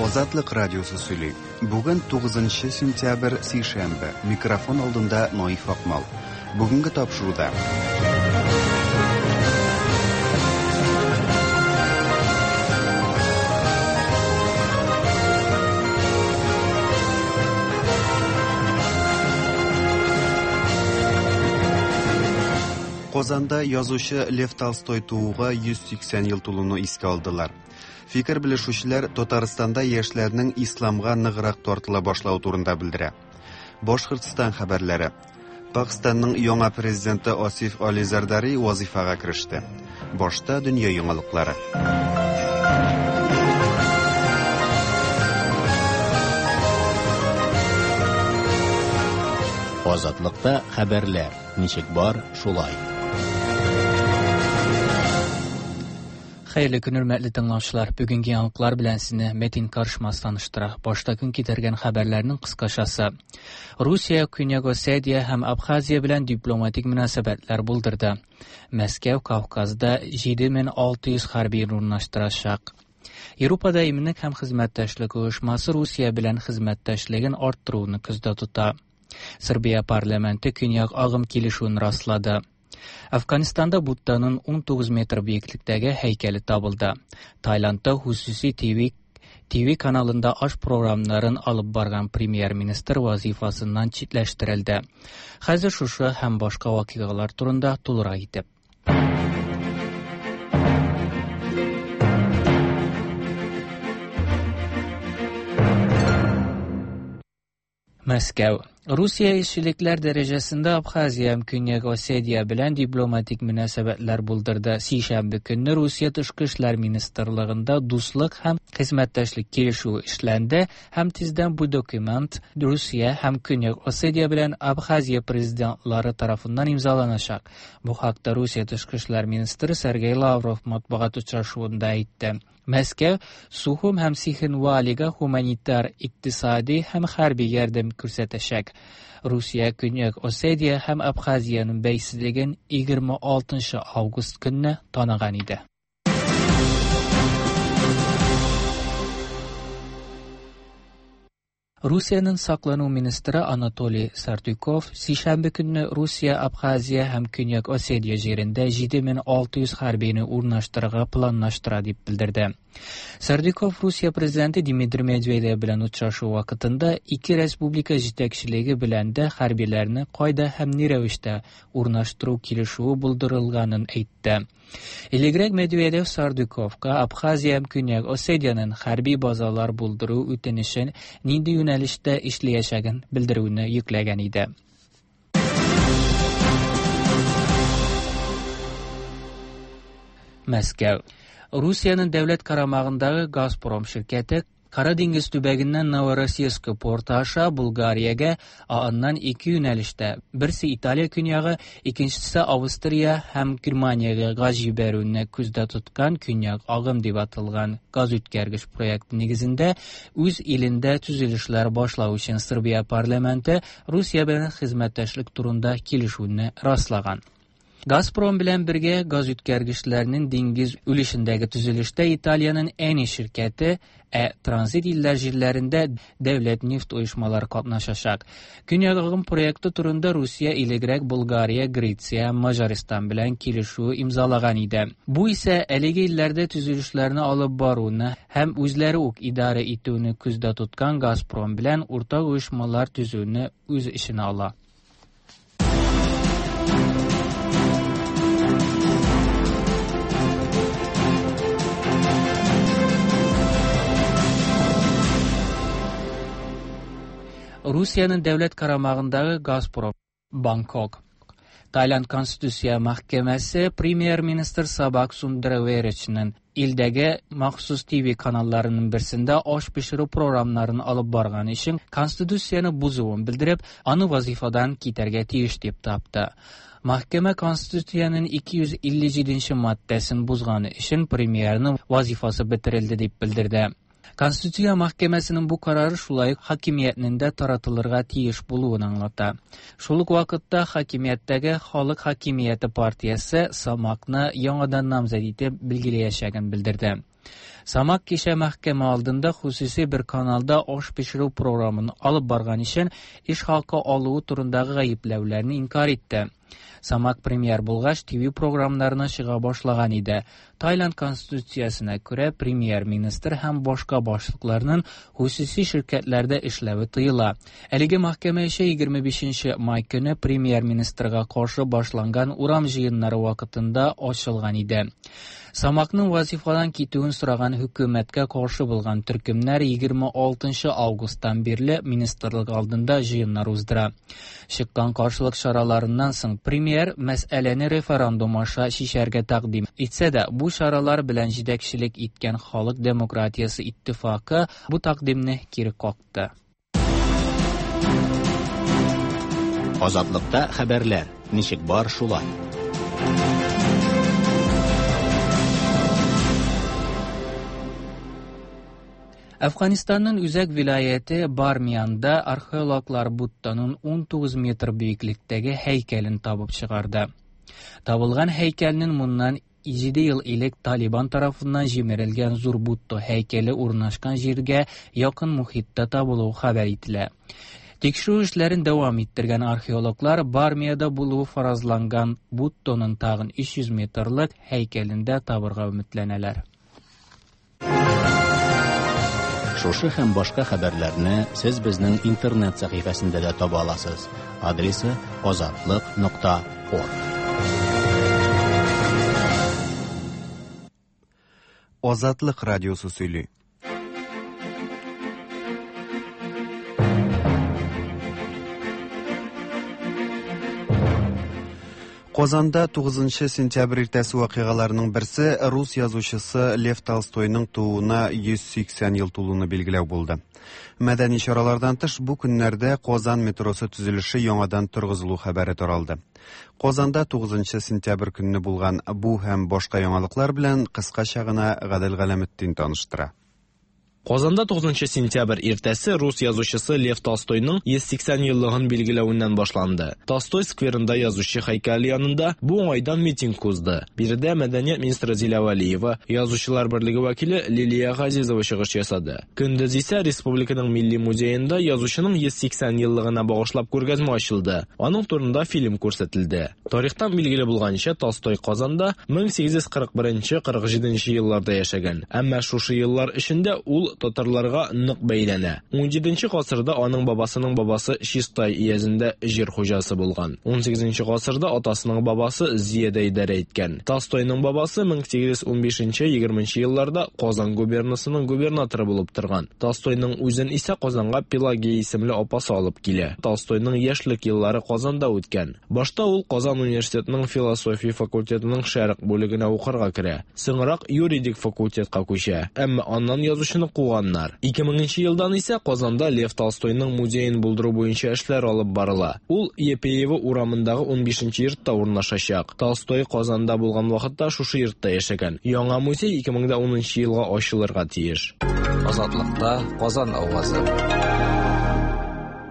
Азатлык радиосы сөйли. Бүген 9 сентябрь, сишәмбе. Микрофон алдында Наиф Акмал. Бүгенге тапшыруда. Казанда язучы Лев Толстой тууга 180 ел тулуны искә алдылар. Фикер белешүчеләр Татарстанда яшьләрнең исламга ныграк тартыла башлавы турында белдерә. Башкортстан хәбәрләре. Пакъстанның яңа президенты Асиф Али Зардари вазифага кереште. Башта дөнья яңалыклары. Азатлыкта хәбәрләр ничек бар, шулай. Хәерле көн, хөрмәтле тыңлаучылар. Бүгенге яңалыклар белән сезне Метин Каршмас таныштыра. Башта көн китергән хәбәрләрнең кыскачасы. Русия Көньяк Осетия һәм Абхазия белән дипломатик мөнәсәбәтләр булдырды. Мәскәү Кавказда 7600 хәрби урнаштырачак. Европада иминлек һәм хезмәттәшлек оешмасы Русия белән хезмәттәшлеген арттыруны күздә тота. Сербия парламенты Көньяк агым килешүен раслады. Афганистанда Будданың 19 метр биеклектәге һәйкәле табылды. Таиландта хусуси ТВ каналында аш програмнарын алып барган премьер-министр вазифасыннан читләштерелде. Хәзер шушы һәм башка вакыйгалар турында тулырак итеп. Мәскәү. Русия илчелекләр дәрәҗәсендә Абхазия һәм Көньяк Осетия белән дипломатик мөнәсәбәтләр булдырды. Сишәмбе көнне Русия тышкы эшләр министрлыгында дуслык һәм хезмәттәшлек килешүе эшләнде һәм тиздән бу документ Русия һәм Көньяк Осетия белән Абхазия президентлары тарафыннан имзаланачак. Бу хакта Русия тышкы эшләр министры Сергей Лавров матбугат очрашуында әйтте. Мәскәү Сухум һәм Цхинвалига гуманитар, икътисади һәм хәрби ярдәм күрсәтәчәк. Русия Көньяк Осетия һәм Абхазиянең бәйсезлеген 26 август көнне таныган иде. Русиянең саклану министры Анатолий Сартюков сишәмбе көнне Русия, Абхазия һәм Көньяк Осетия җирендә 7600 хәрбине урнаштырырга планлаштыра дип белдерде. Сардюков Русия президенты Дмитрий Медведев белән очрашу вакытында ике республика җитәкчелеге белән дә хәрбиләрне кайда һәм ни рәвештә урнаштыру килешүе булдырылганын әйтте. Элегрәк Медведев Сардюковка Абхазия һәм Көньяк Осетиянең хәрби базалар булдыру үтенечен нинди юнәлештә эшләячәген белдерүне йөкләгән иде. Мәскәү. Русиянең дәүләт карамагындагы Газпром ширкәте Кара диңгез төбәгеннән Новороссийск порты аша Булгариягә, ә аннан ике юнәлештә, берсе Италия көньягы, икенчесе Австрия һәм Германиягә газ җибәрүне күздә тоткан Көньяк агым дип аталган газ үткәргеч проекты нигезендә үз илендә төзелешләр башлау өчен Сербия парламенты Русия белән хезмәттәшлек турында килешүне раслаган. Газпром белән бергә газ үткәргечләрнең диңгез өлешендәге төзелештә Италиянең Eni ширкәте, ә транзит илләр җирләрендә дәүләт нефть оешмалары катнашачак. Көньяк агым проекты турында Русия элегрәк Булгария, Греция, Маҗаристан белән килешү имзалаган иде. Бу исә әлеге илләрдә төзелешләрне алып баруны һәм үзләре үк идарә итүне күздә тоткан Газпром белән уртак оешмалар төзүне үз эченә ала. Русиянең дәүләт карамагындагы Газпром, Бангкок. Таиланд Конституция мәхкәмәсе премьер-министр Сабак Сундраверичның илдәге махсус ТВ каналларының берсендә аш пешерү програмнарын алып барган өчен Конституцияне бозуын белдереп, аны вазифадан китәргә тиеш дип тапты. Мәхкәмә Конституциянең 257 маддәсен бозганы өчен премьерның вазифасы бетерелде дип белдерде. Конституция мәхкәмәсенең бу карары шулай ук хакимиятнең дә таратылырга тиеш булуын аңлата. Шул ук вакытта хакимияттәге Халык хакимияте партиясе Самакны яңадан намзәт итеп билгеләячәген белдерде. Самак кичә мәхкәмә алдында хосуси бер каналда аш пешерү програмын алып барган өчен эш хакы алуы турындагы гаепләүләрне инкарь итте. Самак премьер булгач, ТВ програмнарына чыга башлаган иде. Таиланд конституциясенә күрә, премьер-министр һәм башка башлыкларның хосуси ширкәтләрдә эшләве тыела. Әлеге мәхкәмә эше 25 май көне премьер-министрга каршы башланган урам җыеннары вакытында ачылган иде. Самакның вазифадан китүен сораган хөкүмәткә каршы булган төркемнәр 26 августтан бирле министрлык алдында җыеннар уздыра. Чыккан каршылык чараларыннан соң премьер мәсьәләне референдум аша чишәргә тәкъдим итсә дә, бу чаралар белән җитәкчелек иткән Халык демократиясе иттифакы бу тәкъдимне кире какты. Азатлыкта хәбәрләр, ничек бар шулай. Әфганстанның үзәк вилаяте Бармиянда археологлар Будданың 19 метр биеклектәге һәйкәлен табып чыгарды. Табылган һәйкәлнең моннан 7 ел элек Талибан тарафыннан җимерелгән зур Будда һәйкәле урнашкан җиргә якын мохиттә табылуы хәбәр ителә. Тикшерү эшләрен дәвам иттергән археологлар Бармиядә булуы фаразланган Будданың тагын 300 метрлык һәйкәлен дә табырга өметләнәләр. Шушы һәм башка хәбәрләрне сез безнең интернет сәхифәсендә дә таба аласыз. Адресы azatliq.org. Азатлык радиосы сөйли. Казанда 9 сентябрь иртәсе вакыйгаларының берсе рус язучысы Лев Толстойның тууына 180 ел тулуны билгеләү булды. Мәдәни чаралардан тыш бу көннәрдә Казан метросы төзелеше яңадан торгызылу хәбәре таралды. Казанда 9 сентябрь көнне булган бу һәм башка яңалыклар белән кыскача гына Гадел Галәметдин таныштыра. Казанда 9 сентябрь иртәсе рус язучысы Лев Толстойның 180 еллыгын билгеләвеннән башланды. Толстой скверында язучы һәйкәле янында бу уңайдан митинг узды. Биредә мәдәният министры Зилә Вәлиева, Язучылар берлеге вәкиле Лилия Газизова чыгыш ясады. Көндез исә республиканың милли музеенда язучының 180 еллыгына багышлап күргәзмә ачылды. Аның турында фильм күрсәтелде. Тарихтан билгеле булганча, Толстой Казанда 1841-47 елларда яшәгән. Әмма шушы еллар эчендә ул татарларга нык бәйләнә. 17 гасырда аның бабасының бабасы Чистай өязендә җир хуҗасы булган. 18 гасырда атасының бабасы Зиядә идарә иткән. Толстойның бабасы 1815-20 елларда Казан губернасының губернаторы булып торган. Толстойның үзен исә Казанга Пелагея исемле апасы алып килә. Толстойның яшьлек еллары Казанда үткән. Башта ул Казан университетының философия факультетының шәрык бүлегенә укырга керә. Соңрак юридик факультетка күчә. Әмма аннан язучыны куганнар. 2000 елдан исә Казанда Лев Толстойның музеен булдыру буенча эшләр алып барыла. Ул Епеево урамындагы 15 йортта урнашачак. Толстой Казанда булган вакытта шушы йортта яшәгән. Яңа музей 2010 елга ачылырга тиеш. Азатлыкта Казан авазы.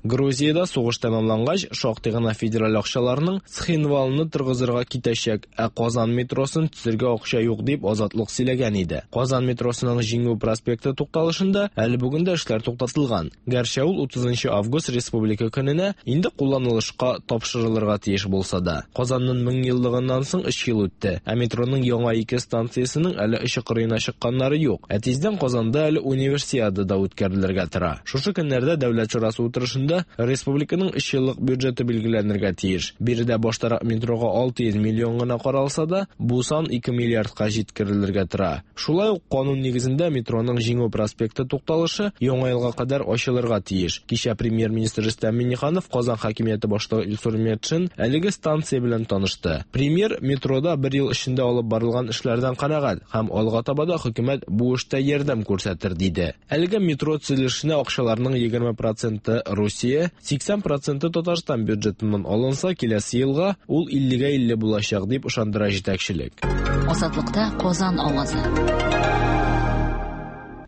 Грузиядә сугыш тәмамлангач, шактый гына федераль акчаларның Цхинвалны торгызырга китәчәк, ә Казан метросын төзергә акча юк дип Азатлык сөйләгән иде. Казан метросының Җиңү проспекты тукталышында әле бүген дә эшләр туктатылган. Гәрчә ул 30 август Республика көненә инде кулланылышка тапшырылырга тиеш булса да. Казанның 1000 еллыгыннан соң 3 ел үтте, ә метроның яңа ике станциясенең әле очы кырыена чыкканнары юк. Ә тиздән Казанда әле универсиада да үткәрелергә тора. Шушы көннәрдә Дәүләт шурасы утырышында республиканың 3 еллык бюджеты билгеләнергә тиеш. Биредә баштарак метрога 600 миллион гына каралса да, бу сан 2 миллиардка җиткерелергә тора. Шулай ук канун нигезендә метроның Җиңү проспекты тукталышы яңа елга кадәр ачылырга тиеш. Кичә премьер-министр Рөстәм Миңнеханов Казан хакимияте башлыгы Илсур Метшин әлеге станция белән танышты. Премьер метрода бер ел эчендә алып барылган эшләрдән канәгать һәм алга таба да хөкүмәт бу эштә ярдәм күрсәтер диде. Әлеге метро төзелешенә акчаларның 20% Русия, 80% Татарстан бюджетыннан алынса, киләсе елга ул 50-50 булачак дип ышандыра җитәкчелек. Азатлыкта Казан авазы.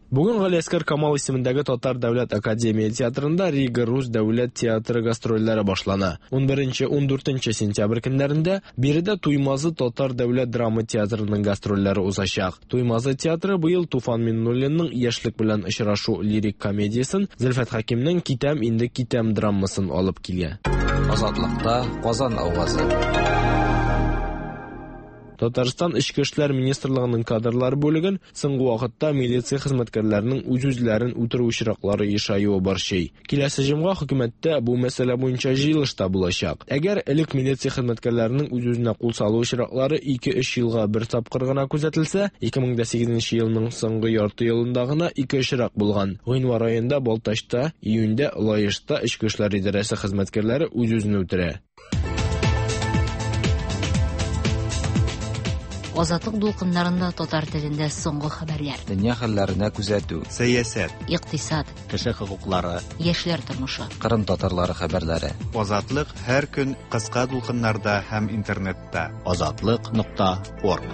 Бүген Галиәсгар Камал исемендәге Татар дәүләт академия театрында Рига рус дәүләт театры гастрольләре башлана. 11-14 сентябрь көннәрендә биредә Туймазы татар дәүләт драма театрының гастрольләре узачак. Туймазы театры быел Туфан Миңнуллинның Яшьлек белән очрашу лирик комедиясен, Зөлфәт Хәкимнең Китәм инде китәм драмасын алып килә. Азатлыкта Казан авазы. Татарстан Эчке эшләр министрлыгының кадрлар бүлеген соңгы вакытта милиция хезмәткәрләренең үз-үзләрен үтерү очраклары ешаюы борчый. Киләсе җомга хөкүмәттә бу мәсьәлә буенча җыелыш та булачак. Әгәр элек милиция хезмәткәрләренең үз-үзенә кул салу очраклары 2-3 елга бер тапкыр гына күзәтелсә, 2008 елның соңгы ярты елында гына 2 очрак булган. Гыйнвар аенда Балтачта, июньдә Лаешта Эчке эшләр идарәсе хезмәткәрләре үз-үзен үтерә. Азатлык дулкыннарында татар телендә соңгы хәбәрләр. Дөнья хәлләренә күзәтү. Сәясәт, Икътисад, Кеше хокуклары, яшьләр тормышы. Кырым татарлары хәбәрләре. Азатлык һәр көн кыска дулкыннарда һәм интернетта. Азатлык.орг.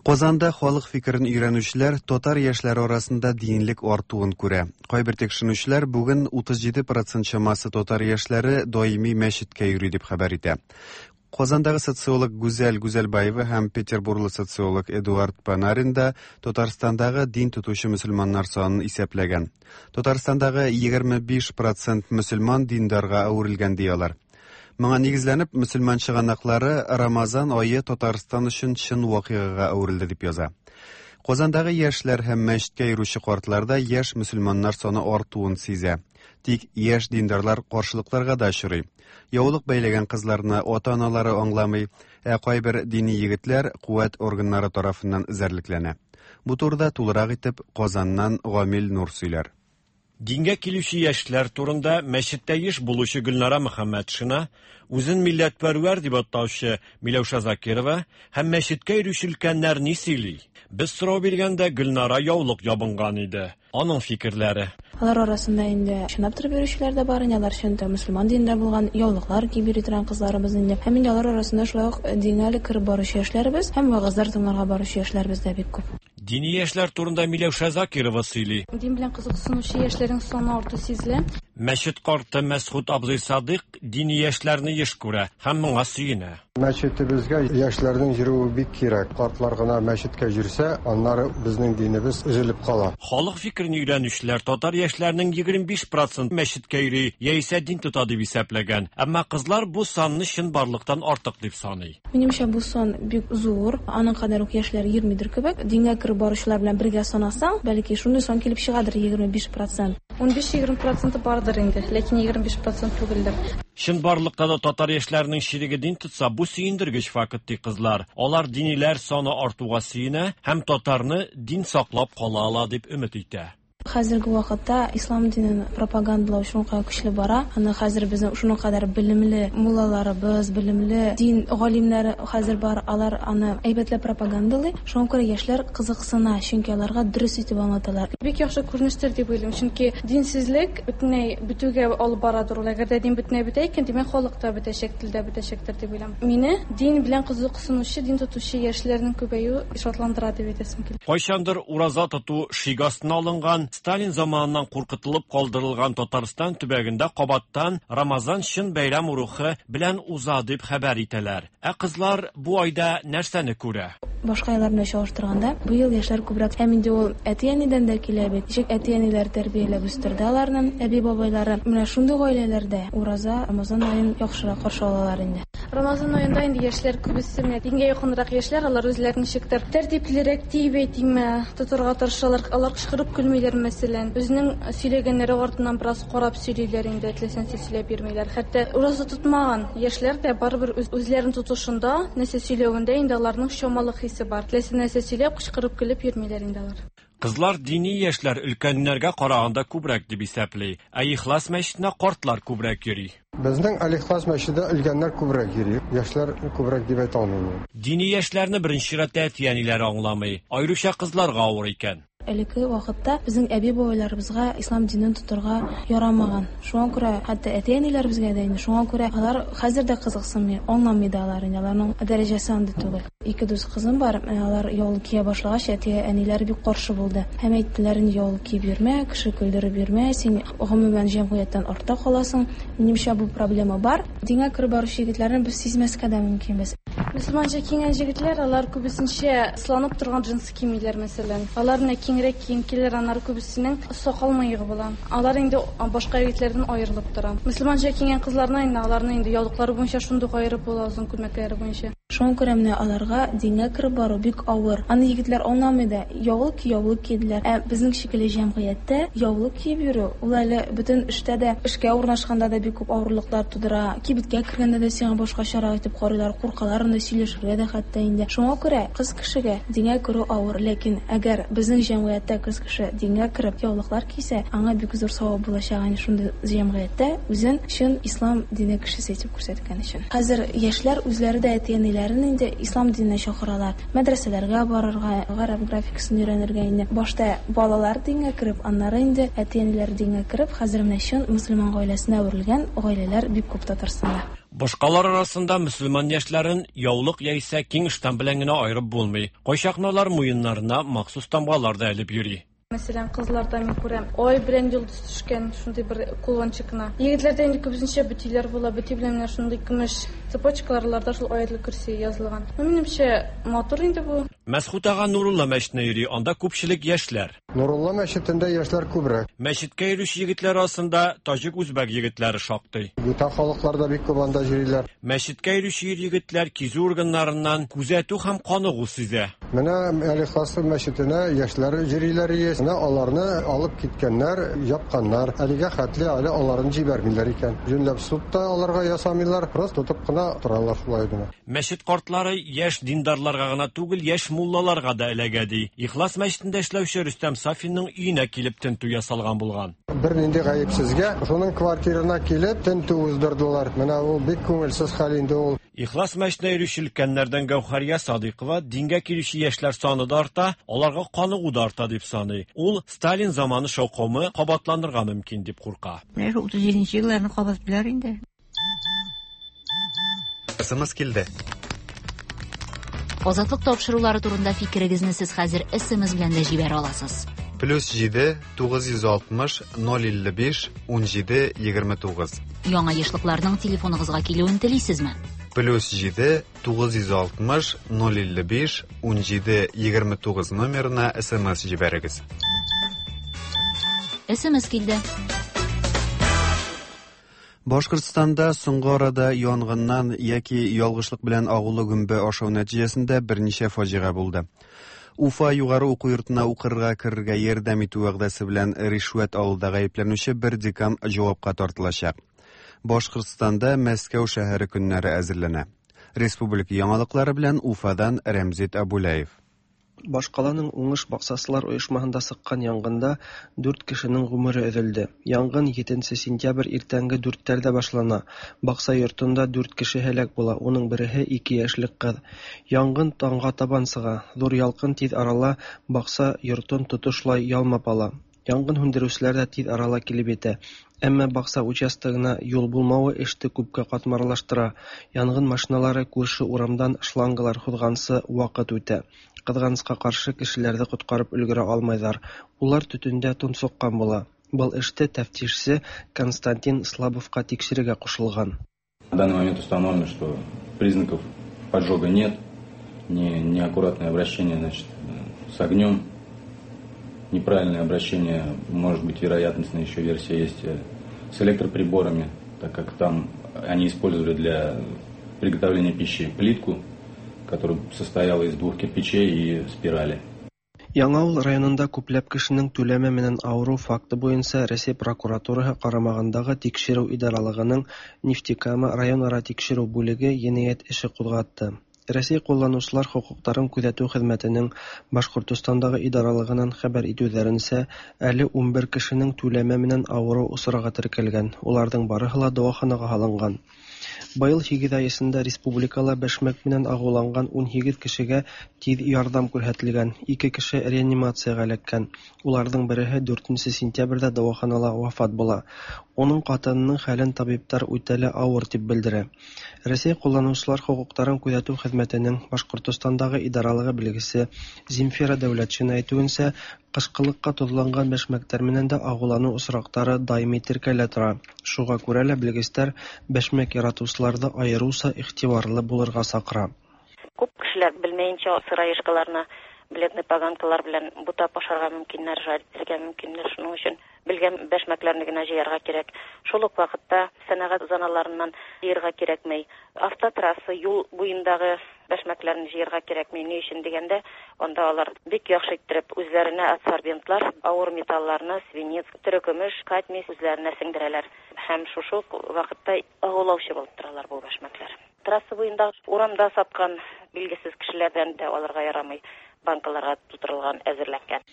Казанда халык фикерен өйрәнүчеләр татар яшьләре арасында динлек артуын күрә. Кайбер тикшеренүчеләр бүген 37% чамасы татар яшьләре даими мәчеткә йөри дип хәбәр итә. Казандагы социолог Гүзәл Гүзәлбаева һәм Петербурлы социолог Эдуард Панарин да Татарстандагы дин тотучы мөселманнар санын исәпләгән. Татарстандагы 25% мөселман диндарга әверелгән ди алар. Моңа нигезләнеп, мөселман чыганаклары Рамазан ае Татарстан өчен чын вакыйгага әверелде дип яза. Казандагы яшьләр һәм мәчеткә йөрүче картларда яшь мөселманнар саны артуын сизә. Тик яшь диндарлар каршылыкларга да очрый. Яулык бәйләгән кызларны ата-аналары аңламый, ә кайбер дини егетләр куәт органнары тарафыннан эзәрлекләнә. Бу турыда тулырак итеп Казаннан Гамил Нур сөйләр. Дингә килүче яшьләр турында мәчеттә еш булучы Гөлнара Мөхәммәтшина, үзен милләтпәрвәр дип атаучы Миләүшә Закирова һәм мәчеткә йөрүче өлкәннәр ни сөйли? Без сорау биргәндә Гөлнара яулык ябынган иде. Аның фикерләре. Алар арасында инде чынлап торып йөрүчеләр дә бар, инде алар чын мөселман динендә булган яулыклар киеп йөри торган кызларыбыз инде. Һәм инде алар арасында шулай ук дингә әле кереп баручы яшьләребез һәм вәгазьләр тыңларга баручы яшьләребез дә бик күп. Дини яшьләр турында Миләүшә Закирова сөйли. Дин белән кызыксынучы яшьләрнең саны арту сизелә. Мәчет карты Мәсхүт абзый Садыйк дини яшьләрне еш күрә һәм моңа сөенә. Мәчетебезгә яшьләрнең йөрүе бик кирәк. Картлар гына мәчеткә йөрсә, аннары безнең динебез өзелеп кала. Халык фикерен өйрәнүчеләр татар яшьләренең 25% мәчеткә йөри яисә дин тота дип исәпләгән. Әмма кызлар бу санны чынбарлыктан артык дип саный. Минемчә, бу сан бик зур. Аның кадәр үк яшьләр йөрмидер кебек. Дингә кереп баручылар белән бергә санасаң, бәлки шундый сан килеп чыгадыр 25%. 15-20% бардыр инде, ләкин 25% түгелдер. Чынбарлыкта да татар яшьләренең чиреге дин тотса, бу сөендергеч факт ди кызлар. Алар диниләр саны артуга сөенә һәм татарны дин саклап кала ала дип өмет итә. Хәзерге вакытта ислам динен пропагандалау шуның кадәр көчле бара. Аны хәзер безнең шуның кадәр белемле муллаларыбыз, белемле дин галимнәре хәзер бар, алар аны әйбәтләп пропагандалый. Шуңа күрә яшьләр кызыксына, чөнки аларга дөрес итеп аңлаталар. Бик яхшы күренештер дип уйлыйм, чөнки динсезлек бөтенләй бетүгә алып барадыр ул. Әгәр дә дин бөтенләй бетә икән, димәк халык та бетәчәк, тел дә бетәчәктер дип уйлыйм. Мине дин белән кызыксынучы, дин тотучы яшьләрнең күбәюе шатландыра дип әйтәсем килә. Кайчандыр ураза тоту шик астына алынган, Сталин заманыннан куркытылып калдырылган Татарстан төбәгендә кабаттан Рамазан чын бәйрәм рухы белән уза дип хәбәр итәләр. Ә кызлар бу айда нәрсәне күрә? Башка айлар белән чагыштырганда, быел яшьләр күбрәк. Һәм инде ул әти-әнидән дә килә бит. Ничек әти-әниләр тәрбияләп үстерде аларны, әби-бабайлары. Менә шундый гаиләләрдә ураза, Рамазан аен яхшырак каршы алалар инде. Рамазан аенда инде яшьләр күбесе менә дингә якынрак яшьләр, алар үзләрен ничектер тәртиплерәк дип әйтимме, тотарга тырышалар. Алар кычкырып көлмиләр, мәсәлән. Үзенең сөйләгәннәре артыннан бераз карап сөйлиләр инде, теләсә сөйләп йөрмиләр. Хәтта ураза тотмаган яшьләр дә барыбер үзләрен тотышында, нәрсә сөйләвендә инде аларның чамалы хисе бар. Теләсә нәрсә сөйләп, кычкырып көлеп йөрмиләр инде алар. Кызлар дини яшьләр өлкәннәргә караганда күбрәк дип исәпли. Ә Ихлас мәчетенә картлар күбрәк йөри. Безнең Аль-Ихлас мәчетендә өлкәннәр күбрәк йөри, яшьләр күбрәк дип әйтә алмыйм. Дини яшьләрне беренче чиратта әти-әниләре аңламый. Аеруча кызларга авыр икән. Элекке вакытта безнең әби-бабайларыбызга ислам динен тотырга ярамаган. Шуңа күрә хәтта әти-әниләребезгә дә инде шуңа күрә алар хәзер дә кызыксынмый, аңламый да алар инде, аларның дәрәҗәсе андый түгел. Ике дус кызым бар, менә алар яулык кия башлагач, әти-әниләре бик каршы булды. Һәм әйттеләр инде, яулык киеп йөрмә, кеше көлдереп йөрмә, син гомумән җәмгыятьтән артта каласың. Минемчә, бу проблема бар. Дингә кереп баручы егетләрне без сизмәскә дә мөмкинбез. Мөселманча киенгән җегетләр, алар күбесенчә сыланып торган джинсы кимиләр, мәсәлән. Алар менә киңрәк кием киләр, аннары күбесенең сакал-мыегы була. Алар инде башка егетләрдән аерылып тора. Мөселманча киенгән кызларны инде аларны инде яулыклары буенча шундук аерып була, озын күлмәкләре буенча. Шуңа күрә менә аларга дингә кереп бару бик авыр. Аны егетләр аңламый да. Яулык ки, яулык ки, диләр. Ә безнең шикелле җәмгыятьтә яулык киеп йөрү, ул әле бөтен эштә дә, эшкә урнашканда да бик күп авырлыклар тудыра. Кибеткә кергәндә дә сиңа башкачарак итеп карыйлар, куркалар анда сөйләшергә дә хәтта инде. Шуңа күрә кыз кешегә дингә керү авыр. Ләкин әгәр безнең җәмгыятьтә кыз кеше дингә кереп яулыклар кисә, аңа бик зур савап булачак, әнә шундый җәмгыятьтә үзен чын ислам дине кешесе итеп күрсәткән өчен. Хәзер яшьләр үзләре дә әти-әниләрен инде ислам диненә чакыралар. Мәдрәсәләргә барырга, гарәп графикасын өйрәнергә инде. Башта балалар дингә кереп, аннары инде әти-әниләр дингә кереп, хәзер менә чын мөселман гаиләсенә әверелгән гаиләләр бик күп Татарстанда. Башкалар арасында мөселман яшьләрен яулык яисә киң ыштан белән генә аерып булмый. Кайчакны алар муеннарына махсус тамгалар да элеп йөри. Мәсәлән, кызларда мин күрәм, ай белән йолдыз төшкән шундый бер кулончик кына. Егетләрдә инде күбесенчә бөтиләр була, бөти белән менә шундый көмеш цепочкалар, аларда шул Аятел Көрси язылган. Ну, минемчә, матур инде бу. Мәсхүт ага Нурулла мәчетенә йөри, анда күпчелек яшьләр. Нурулла мәчетендә яшьләр күбрәк. Мәчеткә йөрүче егетләр арасында таҗик-үзбәк егетләре шактый. Бүтән халыклар да бик күп анда йөриләр. Мәчеткә йөрүче ир-егетләр кизү органнарыннан күзәтү һәм каныгу сизә. Менә Әл-Ихлас мәчетенә яшьләр йөриләр ие. Менә аларны алып киткәннәр, япканнар. Әлегә хәтле әле аларын җибәрмиләр икән. Юньләп суд та аларга ясамыйлар, просто тотып кына торалар шулай гына. Мәчет картлары яшь диндарларга гына түгел, яшь муллаларга да эләгә, ди. Ихлас мәчетендә эшләүче Рөстәм Сафинның өенә килеп тентү ясалган булган. Бернинди гаепсезгә шуның квартирына килеп тентү уздырдылар. Менә ул бик күңелсез хәл инде ул. Ихлас мәчетенә йөрүче өлкәннәрдән Гәүһәрия Садыйкова дингә килүче яшьләр саны да арта, аларга каныгу да арта дип саный. Ул Сталин заманы шаукымы кабатланырга мөмкин дип курка. Менә шул 37 елларны кабатлыйлар инде. СМС килде. Азатлык тапшырулары турында фикерегезне сез хәзер СМС белән дә җибәрә аласыз. Плюс 7 960 055 17 29. Яңа ешлыкларның телефоныгызга килүен телисезме? Плюс 7 960 055 17 29 номерына СМС җибәрегез. СМС килде. Башкортстанда соңгы арада янгыннан яки ялгышлык белән агулы гөмбә ашау нәтиҗәсендә берничә фаҗига булды. Уфа югары уку йортына укырга керергә ярдәм итү вәгъдәсе белән ришвәт алуда гаепләнүче бер декан җавапка тартылачак. Башкортстанда Мәскәү шәһәре көннәре әзерләнә. Республика яңалыклары белән Уфадан Рәмзит Абулаев. Башкаланың Уңыш баксасылар оешмаһында сыккан янгында дүрт кешенең гомере өзелде. Янгын 7 сентябрь иртәнге дүртләрдә башлана. Бакса йортында дүрт кеше һәлак була, уның береһе ике яшьлек кыз. Янгын таңга табан сыга. Зур ялкын тиз арала бакса йортын тотышлай ялмап ала. Янгын һүндерүселәр дә тиз арала килеп етә. Әмма бакса участогына юл булмавы эште күпкә катмарлаштыра. Янгын машиналары күрше урамдан шлангалар һуҙғансы ваҡыт үтә. Ҡыҙғанысҡа ҡаршы кешеләрҙе ҡотҡарып өлгөрә алмайҙар. Улар төтөндә тонсоҡҡан була. Был эште тәфтишсе Константин Слабовҡа тикшерергә ҡушылған. На данный момент установлено, что признаков поджога нет, неаккуратное обращение, с огнем, неправильное обращение, может быть, вероятностная еще версия есть с электроприборами, так как там они использовали для приготовления пищи плитку, которая состояла из двух кирпичей и спирали. Яңауыл районында күпләп кешенең түләмә менән авырыу факты буйынса Рәсәй прокуратураһы ҡарамағындағы тикшереү идаралығының Нефтекама район-ара тикшереү бүлеге енәйәт эше ҡуҙғатты. Рәсәй ҡулланыусылар хоҡуҡтарын күҙәтеү хеҙмәтенең Башҡортостандағы идаралығынан хәбәр итеүҙәренсә, әле 11 кешенең түләмә менән авырыу осрағы теркәлгән. Уларҙың барыһы ла дауаханаға һалынған. Быел 8 айысында республикала бәшмәк менән агуланган 18 кешегә тиз ярдәм күрһәтелгән. 2 кеше реанимациягә эләккән. Уларның береһе 4 сентябрьдә дәваханала вафат була. Уның хатынының хәлен табиблар үтә лә авыр дип белдерә. Рәсәй кулланучылар хокукларын күзәтү хезмәтенең Башкортостандагы идаралыгы белгесе Земфира Дәүләтшина әйтүенчә, кышкылыкка тозланган бәшмәкләр менән дә агулану очраклары даими теркәлә тора. Шуңа күрә лә белгечләр бәшмәк яратучыларны аеруча игътибарлы булырга чакыра. Күп кешеләр белмәенчә сыроежкаларны бледный поганкалар белән бутап ашарга мөмкиннәр, жарить итәргә мөмкиннәр. Шуның өчен белгән бәшмәкләрне генә җыярга кирәк. Шул ук вакытта сәнәгать зоналарыннан җыярга кирәкми. Автотрасса, юл буендагы бәшмәкләрне җыярга кирәкми. Ни өчен дигәндә, анда алар бик яхшы иттереп үзләренә адсорбентлар, авыр металларны, свинец, терекөмеш, кадмий үзләренә сеңдерәләр. Һәм шушы ук вакытта агулаучы булып торалар бу бәшмәкләр. Трасса буенда урамда саткан билгесез кешеләрдән дә алырга ярамый, банкаларга тутырылган, әзерләнгән.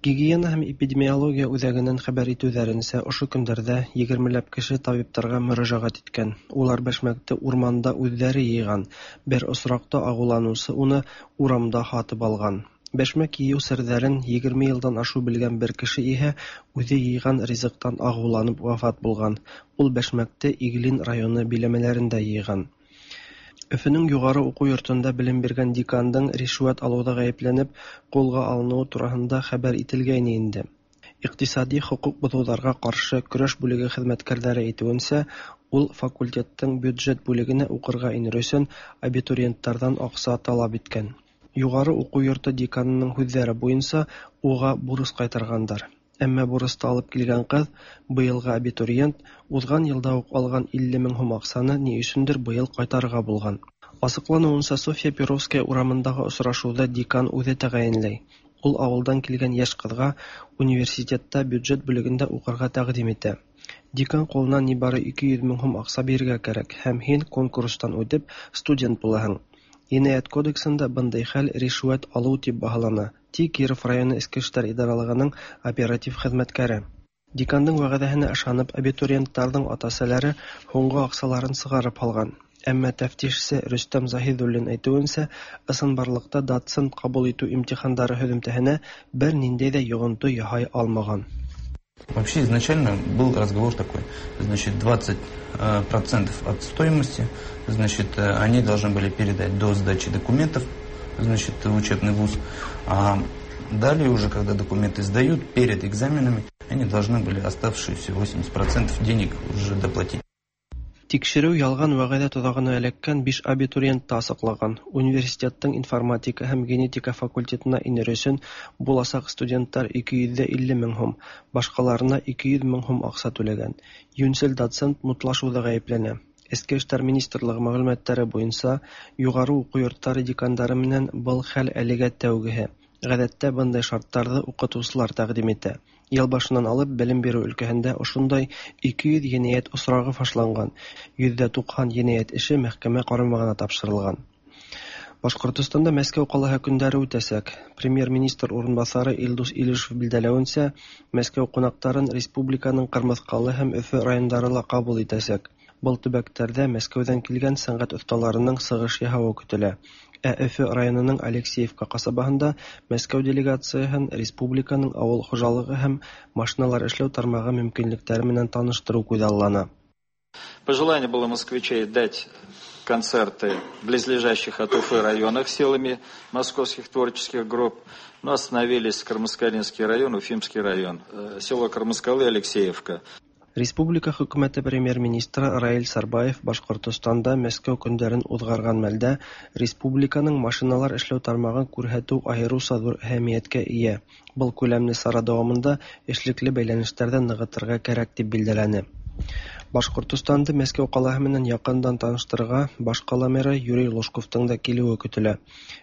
Гигиена һәм эпидемиология үзәгеннән хәбәр итүләренчә, ошо көндәрдә 20ләп кеше табибларга мөрәҗәгать иткән. Улар бәшмәкте урманда үзләре йыйган. Бер очракта агуланучы уны урамда һатып алган. Бәшмәк йыю серҙәрен 20 йылдан ашыу белгән бер кеше иһә үҙе йыйган ризыҡтан агыуланып вафат булган. Ул бәшмәкте Иглин районы биләмәләрендә йыйган. Өфөнең югары уҡыу йортонда белем биргән декандың ришүәт алыуҙа ғәйепләнеп ҡулға алыныуы тураһында хәбәр ителгәйне инде. Иҡтисади хоҡуҡ боҙоуҙарға ҡаршы көрәш бүлеге хеҙмәткәрҙәре әйтеүенсә, ул факультеттың бюджет бүлегенә уҡырға инер өсөн абитуриенттарҙан аҡса талап иткән. Юғары уҡыу йорто деканының һүҙҙәре буйынса уға бурыс ҡайтарғандар. Әммә бурысты алып килгән ҡыҙ, быйылғы абитуриент, уҙған йылда уҡ алған 50 мең һум аҡсаны ни өсөндөр быйыл ҡайтарырға булған. Асыҡланыуынса, Софья Перовская урамындағы осрашыуҙы декан үҙе тәғәйенләй. Ул ауылдан килгән йәш ҡыҙға университетта бюджет бүлегендә уҡырға тәҡдим итә. Декан ҡулына ни бары 200 мең һум аҡса бирергә кәрәк һәм һин конкурстан үтеп студент булаһың. Енәйәт кодексында бындай хәл ришүәт алыу тип баһалана, ти Киров районы Эске эштәр идаралығының оператив хеҙмәткәре. Декандың вәғәҙәһенә ышанып, абитуриенттарҙың ата-әсәләре һуңғы аҡсаларын сығарып һалған. Әммә тәфтишсе Рөстәм Заһиҙуллин әйтеүенсә, ысынбарлыҡта доцент ҡабул итеү имтихандары һөҙөмтәһенә бер ниндәй ҙә йоғонто яһай алмаған. Вообще изначально был разговор такой, значит, 20% от стоимости, значит, они должны были передать до сдачи документов, значит, в учебный вуз. А далее уже, когда документы сдают, перед экзаменами, они должны были оставшиеся 80% денег уже доплатить. Тикшереү ялған вәғәҙә тоҙағына эләккән 5 абитуриентты асыҡлаған. Университеттың информатика һәм генетика факультетына инер өсөн буласаҡ студенттар 250 мең һум, башҡаларына 200 мең һум аҡса түләгән. Йүнсел доцент мутлашыуҙа ғәйепләнә. Эске эштәр министрлығы мәғлүмәттәре буйынса, юғары уҡыу йорттары декандары менән был хәл әлегә тәүгеһе. Ғәҙәттә бындай шарттарҙы уҡытыусылар тәҡдим итә. Йыл башынан алып белем биреү өлкәһендә ошондай 200 енәйәт осрағы фашланған, 90% енәйәт эше мәхкәмә ҡарамағына тапшырылған. Башҡортостанда Мәскәү ҡалаһы көндәре үтәсәк. Премьер-министр урынбаҫары Илдус Илишев билдәләүенсә, Мәскәү ҡунаҡтарын республиканың Ҡырмыҫҡалы һәм Өфө райондары ла ҡабул итәсәк. Был төбәктәрҙә Мәскәүҙән килгән сәнғәт оҫталарының сығыш яһауы көтөлә. Ә Өфө районының Алексеевка ҡасабаһында Мәскәү делегацияһын республиканың ауыл хужалығы һәм машиналар эшләү тармағы мөмкинлектәре менән таныштырыу күҙаллана. Пожелание было москвичей дать концерты в близлежащих от Уфы районах силами московских творческих групп, но остановились Кармаскалинский район, Уфимский район, село Кармаскалы, Алексеевка. Республика хөкүмәте премьер-министры Раил Сарбаев Башҡортостанда Мәскәү көндәрен уҙғарған мәлдә республиканың машиналар эшләү тармағын күрһәтеү айырыуса ҙур әһәмиәткә эйә. Был күләмле сара дауамында эшлекле бәйләнештәрҙе нығытырға кәрәк тип билдәләне. Башҡортостанды Мәскәү ҡалаһы менән яҡындан таныштырырға баш ҡала мэры Юрий Лужковтың да килеүе көтөлә.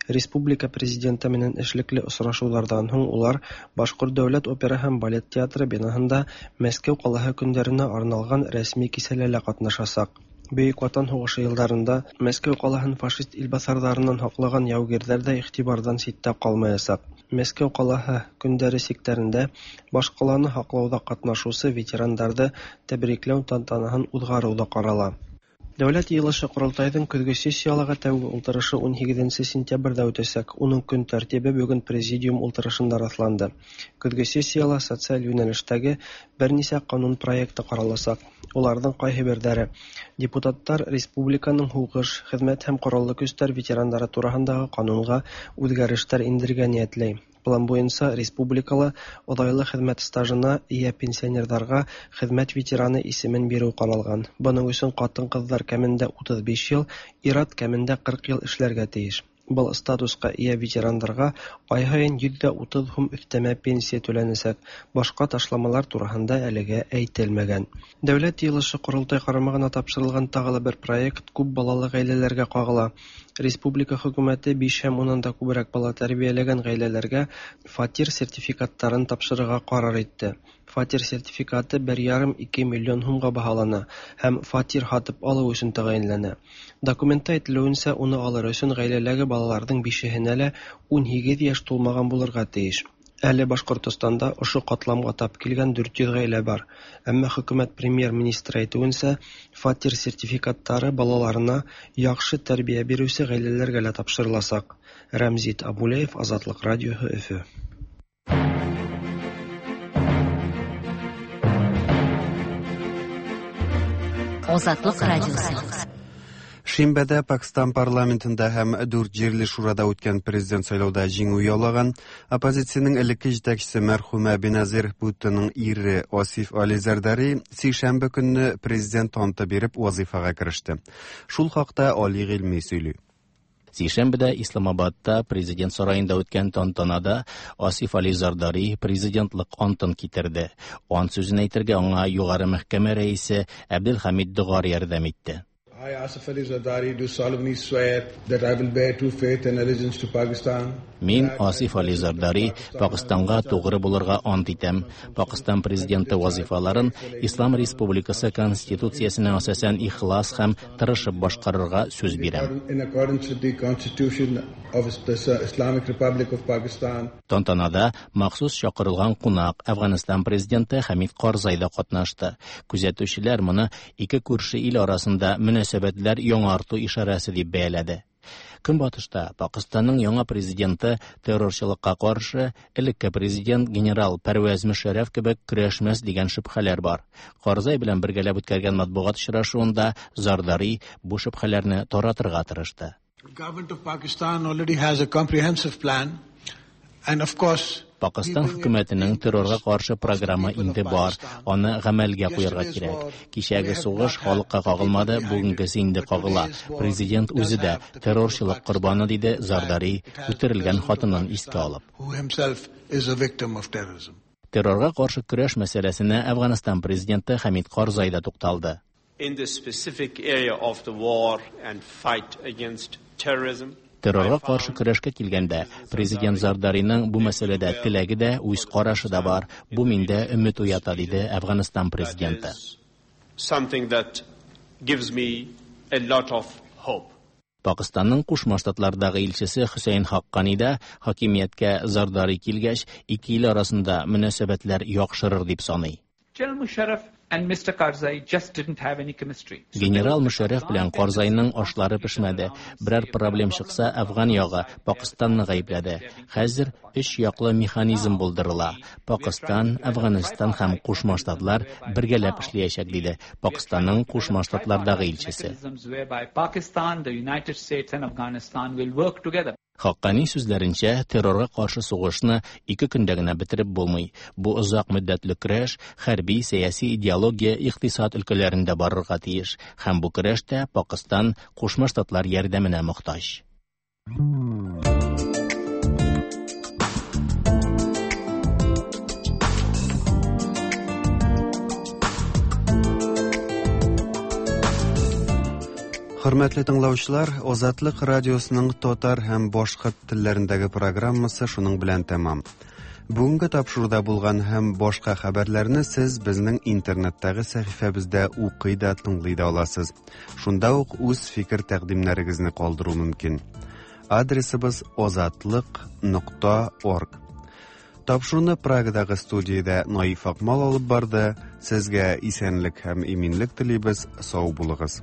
Республика президенты менән эшлекле осрашыуҙарҙан һуң улар Башҡорт дәүләт опера һәм балет театры бинаһында Мәскәү ҡалаһы көндәренә арналған рәсми кисәлә лә ҡатнашасаҡ. Бөйөк Ватан һуғышы йылдарында Мәскәү ҡалаһын фашист илбаҫарҙарынан һаҡлаған яугирҙәр ҙә иғтибарҙан ситтә ҡалмаясаҡ. Мәскәү ҡалаһы көндәре сиктәрендә баш ҡаланы һаҡлауҙа ҡатнашыусы ветерандарҙы тәбрикләү тантанаһын уҙғарыу ҙа ҡарала. Дәүләт Йыелышы-Корылтайның көзге сессияләге тәүге ултырышы 18 сентябрьдә үтәчәк. Уның көн тәртибе бүген президиум ултырышында расланды. Көзге сессиялә социаль юнәлештәге берничә канун проекты каралачак. Уларның кайһыбердәре депутаттар республиканың һугыш, хезмәт һәм кораллы көчләр ветераннары турындагы канунга үзгәрешләр индерергә ниятләй. План буенча республикала озайлы хезмәт стажына ия пенсионерларга хезмәт ветераны исемен бирү каралган. Моның өчен хатын-кызлар кимендә 35 ел, ир-ат кимендә 40 ел эшләргә тиеш. Был статуска ия ветераннарга ай һаен 130 һум өстәмә пенсия түләнәчәк. Башка ташламалар турында әлегә әйтелмәгән. Дәүләт Йыелышы-Корылтай карамагына тапшырылган тагы бер проект күп балалы гаиләләргә кагыла. Республика хөкүмәте 5 һәм уннан да күбрәк бала тәрбияләгән гаиләләргә фатир сертификатларын тапшырырга карар итте. Фатир сертификаты 1,5-2 миллион һумга баһалана һәм фатир һатып алу өчен тәгаенләнә. Документта әйтелүенчә, уны алыр өчен гаиләләге балаларның бишеһенә лә 18 яшь тулмаган булырга тиеш. Әле Башкортостанда ошо катламга тап килгән 400 гаилә бар. Әмма хөкүмәт премьер-министры әйтүенчә, фатир сертификатлары балаларына яхшы тәрбия бирүче гаиләләргә лә тапшырылачак. Рәмзит Абулеев, Азатлык радиоһы, Өфө. Азатлык радиосы. Шимбәдә Пакстан парламентында һәм дүрт җирле шурада үткән президент сайлауда җиңү яулаган оппозициянең элекке җитәкчесе мәрхүмә Беназир Бхуттоның ире Асиф Али Зардари сишәмбе көнне президент анты биреп вазифага кереште. Шул хакта Али Гыйльми сөйли. Сишәмбедә Исламабадта президент сараенда үткән тантанада Асиф Али Зардари президентлык антын китерде. Ант сүзен әйтергә аңа Югары мәхкәмә рәисе Әбделхамид Догар ярдәм итте. I, Asif Ali Zardari, do solemnly swear that I will bear true faith and allegiance to Pakistan. Мин, Асиф Али Зардари, Пакыстанга тугры булырга ант итәм. Пакыстан президенты вазифаларын Ислам Республикасы Конституциясенә асасән ихлас һәм тырышып башкарырга сүз бирәм. In accordance with the Constitution of the Islamic Republic of Pakistan. Тантанада махсус чакырылган кунак Әфганстан президенты Хәмид Карзай да катнашты. Күзәтүчеләр моны ике күрше ил арасында мөнәсәбәтләр яңарту ишарәсе дип бәяләде. Көнбатышта Пакыстанның яңа президенты террорчылыкка каршы элекке президент генерал Пәрвәз Мөшәррәф кебек көрәшмәс дигән шөбһәләр бар. Карзай белән бергәләп үткәргән матбугат очрашуында Зардари бу шөбһәләрне таратырга тырышты. The government of Pakistan already has a comprehensive plan, and of course, Пакыстан хөкүмәтенең террорга каршы програмы инде бар, аны гамәлгә куярга кирәк. Кичәге сугыш халыкка кагылмады, бүгенгесе инде кагыла. Президент үзе дә террорчылык корбаны, диде Зардари, үтерелгән хатынын искә алып. who himself is a victim of terrorism. Террорга каршы көрәш мәсьәләсенә Әфганстан президенты Хәмид Карзай да тукталды. In the specific area of the war and fight against terrorism, Террорга каршы көрәшкә килгәндә, президент Зардариның бу мәсьәләдә теләге дә, үз карашы да бар. Бу миндә өмет уята, диде Әфганстан президенты. something that gives me a lot of hope. Пакыстанның Кушма Штатлардагы илчесе Хөсәен Хаккани да хакимияткә Зардари килгәч, ике ил арасында мөнәсәбәтләр яхшырыр дип саный. General Musharraf and Mr. Karzai just didn't have any chemistry. Генерал Мөшәррәф белән Карзайның ашлары пешмәде. Берәр проблем чыкса, Әфган ягы Пакыстанны гаепләде. Хәзер өч яклы механизм булдырыла. Пакыстан, Әфганстан һәм Кушма Штатлар бергәләп эшләячәк, диде Пакыстанның Кушма Штатлардагы илчесе. Mechanisms whereby Pakistan, the United States and Afghanistan will work together. Хаккани сүзләренчә, террорга каршы сугышны ике көндә генә бетереп булмый. Бу озак мөддәтле көрәш хәрби, сәяси, идеология, икътисад өлкәләрендә барырга тиеш. Һәм бу көрәштә Пакыстан Кушма Штатлар ярдәменә мохтаҗ. Хөрмәтле тыңлаучылар, Азатлык радиосының татар һәм башкорт телләрендәге программасы шуның белән тәмам. Бүгенге тапшыруда булган һәм башка хәбәрләрне сез безнең интернеттагы сәхифәбездә укый да, тыңлый да аласыз. Шунда ук үз фикер тәкъдимнәрегезне калдыру мөмкин. Адресыбыз azatliq.org. Тапшыруны Прагадагы студиядә Наиф Акмал алып барды. Сезгә исәнлек һәм иминлек телибез. Сау булыгыз.